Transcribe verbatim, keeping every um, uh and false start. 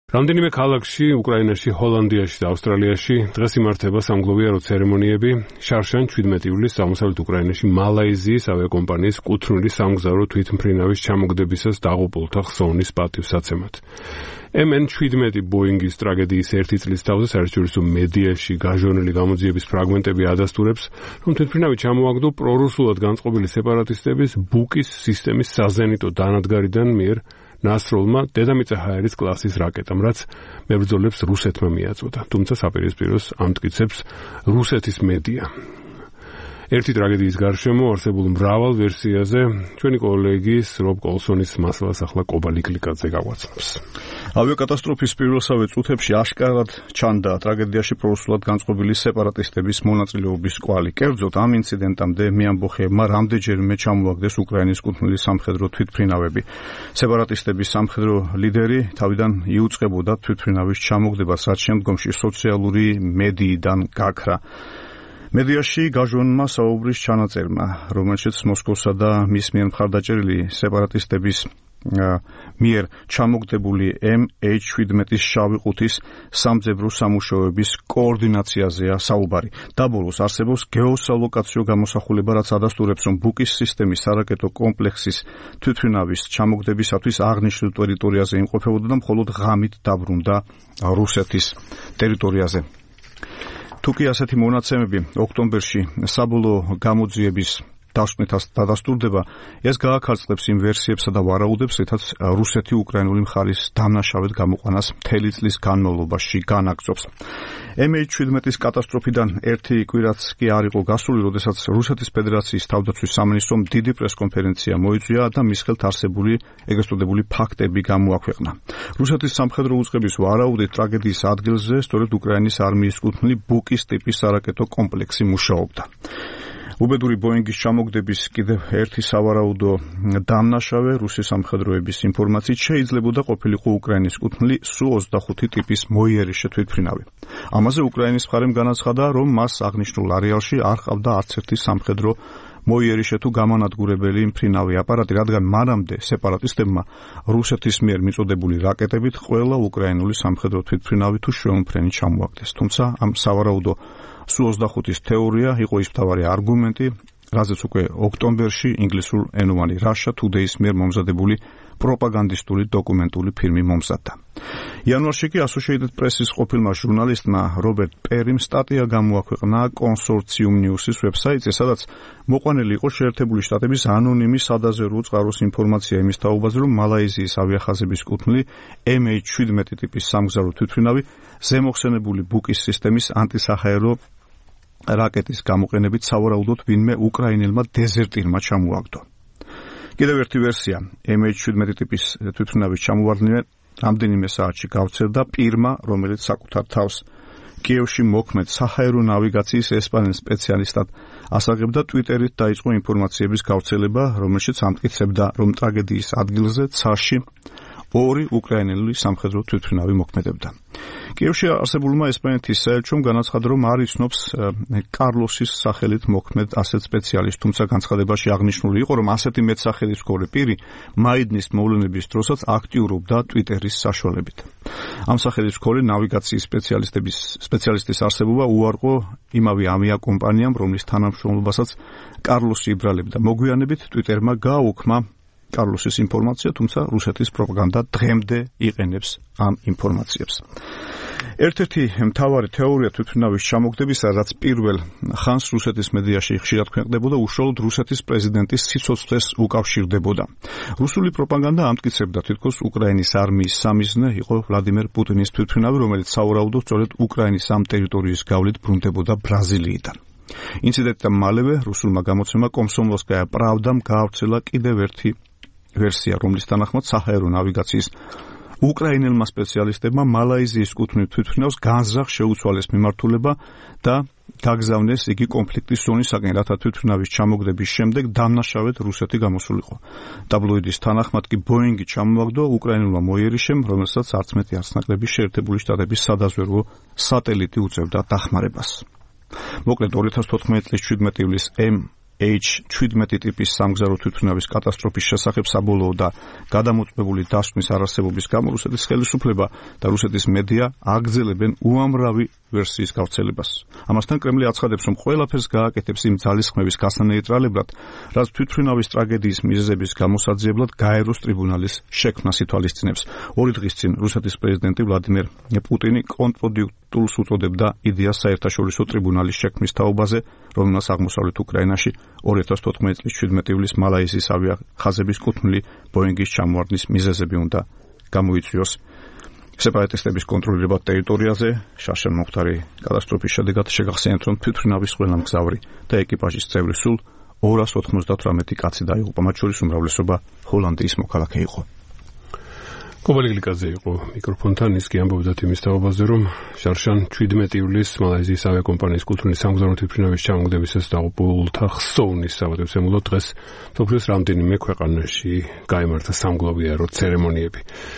რამდენიმე ქალაქში, უკრაინაში, ჰოლანდიაში და ავსტრალიაში დღეს იმართება სამგლოვიარო ცერემონიები შარშან შვიდმეტი ივლისს აღმოსავლეთ უკრაინაში მალაიზიის ავიაკომპანიის კუთვნილი სამგზავრო თვითმფრინავის ჩამოგდებისას დაღუპულთა ხსოვნის პატივსაცემად. ემ ენ შვიდმეტი ბოინგის ტრაგედიის ერთი წლის თავზე საერთაშორისო მედიაში გაჟონილი გამოძიების ფრაგმენტები ადასტურებს, რომ თვითმფრინავი ჩამოაგდო პრორუსულად განწყობილი სეპარატისტების ბუკის სისტემის საზენიტო დანადგარიდან მიერ ნასროლმა დედამიწა ჰაერის კლასის რაკეტამ, რაც მებრძოლებს რუსეთმა მიაწოდა. თუმცა საპირისპიროს ამტკიცებს რუსეთის მედია. ერთი ტრაგედიის გარშემო არსებულ მრავალ ვერსიაზე ჩვენი კოლეგის რობ კოლსონის მასალას ახლა კობა ლიკლიკაძე გაგვაცნობს. ავიაკატასტროფის პირველსავე წუთებში აშკარად ჩანდა ტრაგედიაში პრორუსულად განწყობილი სეპარატისტების მონაწილეობის კვალი. კერძოდ ამ ინციდენტამდე მეამბოხეებმა რამდენჯერმე ჩამოაგდეს უკრაინის კუთვნილი სამხედრო თვითმფრინავები. სეპარატისტების სამხედრო ლიდერი თავიდან იუწყებოდა თვითმფრინავის ჩამოგდებას, რაც შემდგომში სოციალური მედიიდან გაქრა. მედიაში გაჟონმა საუბრის ჩანაწერმა, რომელშიც მოსკოვსა და მის მიერ მხარდაჭერილი სეპარატისტების მიერ ჩამოგდებული ემ ეიჩ შვიდმეტის შავი ყუთის სამძებრო სამუშაოების კოორდინაციაზეა საუბარი. დაბოლოს არსებობს გეოსალოკაციო გამოსახულება, რაც ადასტურებს, რომ ბუკის სისტემის არაკეტო კომპლექსის თვითმფრინავის ჩამოგდებისათვის აღნიშნულ ტერიტორიაზე იმყოფებოდა და მხოლოდ ღამით დაბრუნდა რუსეთის ტერიტორიაზე. თუკი ასეთი მონაცემები ოქტომბერში საბოლოო გამოძიების დასკვნითაც დადასტურდება, ეს გააქარწყლებს იმ ვერსიებსა და ვარაუდებს, რითაც რუსეთი უკრაინული მხარის დამნაშავედ გამოყვანას მთელი წლის განმავლობაში განაგრძობს. ემ ეიჩ შვიდმეტის კატასტროფიდან ერთი კვირაც კი არ იყო გასული, როდესაც რუსეთის ფედერაციის თავდაცვის სამინისტრომ დიდი პრესკონფერენცია მოიწვია და მის ხელთ არსებული ეგრეთ წოდებული ფაქტები გამოაქვეყნა. რუსეთის სამხედრო უწყების ვარაუდით ტრაგედიის ადგილზე სწორედ უკრაინის არმიის კუთვნილი ბუკის ტიპის არაკეტო კომპლექსი მუშაობდა. უბედური ბოინგის ჩამოგდების კიდევ ერთი სავარაუდო დამნაშავე რუსი სამხედროების ინფორმაციით შეიძლებოდა ყოფილიყო უკრაინის კუთვნილი სუ ოცდახუთი ტიპის მოიერიშე თვითმფრინავი. ამაზე უკრაინის მხარემ განაცხადა, რომ მას აღნიშნულ არეალში არ ყავდა არც ერთი სამხედრო მოიერიშე თუ გამანადგურებელი მფრინავი აპარატი, რადგან მანამდე სეპარატისტებმა რუსეთის მიერ მიწოდებული რაკეტებით ყველა უკრაინული სამხედრო თვითმფრინავი თუ შვეულმფრენი ჩამოაგდეს. თუმცა ამ სავარაუდო სუ ოცდახუთის თეორია იყო ის მთავარი არგუმენტი, რაზეც უკვე ოქტომბერში ინგლისურ ენოვანი Russia Today-ის მიერ მომზადებული პროპაგანდისტული დოკუმენტური ფილმი მომზადდა. იანვარში კი Associated Press-ის ყოფილმა ჟურნალისტმა რობერტ პერიმ სტატია გამოაქვეყნა კონსორციუმ ნიუსის ვებსაიტზე, სადაც მოყვანილი იყო შეერთებული შტატების ანონიმი სადაზვერვო წყაროს ინფორმაცია იმის თაობაზე, რომ მალაიზიის ავიახაზების კუთვნილი ემ ეიჩ შვიდმეტი ტიპის სამგზავრო თვითმფრინავი ზემოხსენებული ბუკის სისტემის ანტისაჰაერო რაკეტის გამოყენებით სავარაუდოდ ვინმე უკრაინელმა დეზერტირმა ჩამოაგდო. კიდევ ერთი ვერსია, ემ ეიჩ შვიდმეტი ტიპის თვითმფრინავის ჩამოვარდნილ რამდენიმე საათში გავცერდა პირმა, რომელიც საკუთარ თავს კიევში მოქმედ საჰაერო ნავიგაციის ესპანელ სპეციალისტად ასაღებდა, ტვიტერით დაიწყო ინფორმაციების გავრცელება, რომელშიც ამტკიცებდა, რომ ტრაგედიის ადგილზე ცაში ორი უკრაინელი სამხედრო თვითმფრინავი მოქმედებდა. კიევში არსებულმა ესპანეთის საელჩომ განაცხადა, რომ არ იცნობს კარლოსის სახელით მოქმედ ასეთ სპეციალისტს, თუმცა განცხადებაში აღნიშნული იყო, რომ ასეთი მეტსახელისმცემელი პირი მაიდნის მოვლენების დროსაც აქტიურობდა ტვიტერის საშუალებით. ამ სახელისმცემელი ნავიგაციის სპეციალისტების სპეციალისტის არსებობა უარყო იმავე ავიაკომპანიამ, რომლის თანამშრომლობასაც კარლოსი იბრალებდა. მოგვიანებით ტვიტერმა გააუქმა კარლოსის ინფორმაცია, თუმცა რუსეთის პროპაგანდა დღემდე იყენებს ამ ინფორმაციებს. ერთ-ერთი მთავარი თეორია თვითმფრინავის ჩამოგდებისა, რაც პირველ ხანს რუსეთის მედიაში ხშირად ქვეყნდებოდა, უშუალოდ რუსეთის პრეზიდენტის სიცოცხლეს უკავშირდებოდა. რუსული პროპაგანდა ამტკიცებდა, თითქოს უკრაინის არმიის სამიზნე იყო ვლადიმერ პუტინის თვითმფრინავი, რომელიც სავარაუდოდ სწორედ უკრაინის ამ ტერიტორიის გავლით ბრუნდებოდა ბრაზილიიდან. ინციდენტთან მალევე რუსულმა გამოცემამ კომსომოლსკაია პრავდამ გაავრცელა კიდევ ერთი ვერსია, რომლის თანახმად საჰაერო ნავიგაციის უკრაინელმა სპეციალისტებმა მალაიზიის კუთვნილ თვითმფრინავს განზრახ შეუცვალეს მიმართულება და გაგზავნეს იგი კონფლიქტის ზონისაკენ, რათა თვითმფრინავის ჩამოგდების შემდეგ დამნაშავედ რუსეთი გამოსულიყო. ტაბლოიდის თანახმად კი ბოინგი ჩამოაგდო უკრაინულმა მოიერიშემ, რომელსაც არც მეტი არც ნაკლები შეერთებული შტატების სადაზვერვო სატელიტი უწევდა დახმარებას. მოკლედ ორი ათას თოთხმეტი წლის შვიდმეტი ივლისს ემ ეიჩ შვიდმეტი ტიპის სამგზავრო თვითმფრინავის კატასტროფის შესახებ საბოლოო და გადამოწმებული დასკვნის არარსებობის გამო რუსეთის ხელისუფლება და რუსეთის მედია აგრძელებენ უამრავი ვერსიის გავრცელებას. ამასთან კრემლი აცხადებს, რომ ყველაფერს გააკეთებს იმ ძალისხმევის გასანეიტრალებლად, რაც თვითმფრინავის ტრაგედიის მიზეზების გამოსაძიებლად გაეროს ტრიბუნალის შექმნას ითვალისწინებს. ორი დღის წინ რუსეთის პრეზიდენტი ვლადიმერ პუტინი კონტრპროდუქტულს უწოდებდა იდეას საერთაშორისო ტრიბუნალის შექმნის თაობაზე, რომელმაც აღმოსავლეთ უკრაინაში ორი ათას თოთხმეტი წლის შვიდმეტი ივლისს მალაიზიის ავიახაზების კუთვნილი ბოინგის ჩამოვარდნის მიზეზები უნდა გამოიწვიოს. სეპარატისტების კონტროლირებად ტერიტორიაზე შარშან მომხდარი კატასტროფის შედეგად შეგახსენებთ, რომ თვითმფრინავის ყველა მგზავრი და ეკიპაჟის წევრი სულ ორას ოთხმოცდათვრამეტი კაცი დაიღუპა, მათ შორის უმრავლესობა ჰოლანდიის მოქალაქე იყო. კობალი გლიკაძე იყო მიკროფონთან, ის კი ამბობდა იმის თაობაზე, რომ შარშან შვიდმეტი ივლისს მალაიზიის ავიაკომპანიის კუთვნილი სამგზავრო თვითმფრინავის ჩამოგდებისას დაღუპულთა ხსოვნის საპატივცემულოდ დღეს მსოფლიოს რამდენიმე ქვეყანაში გაიმართა სამგლოვიარო ცერემონიები.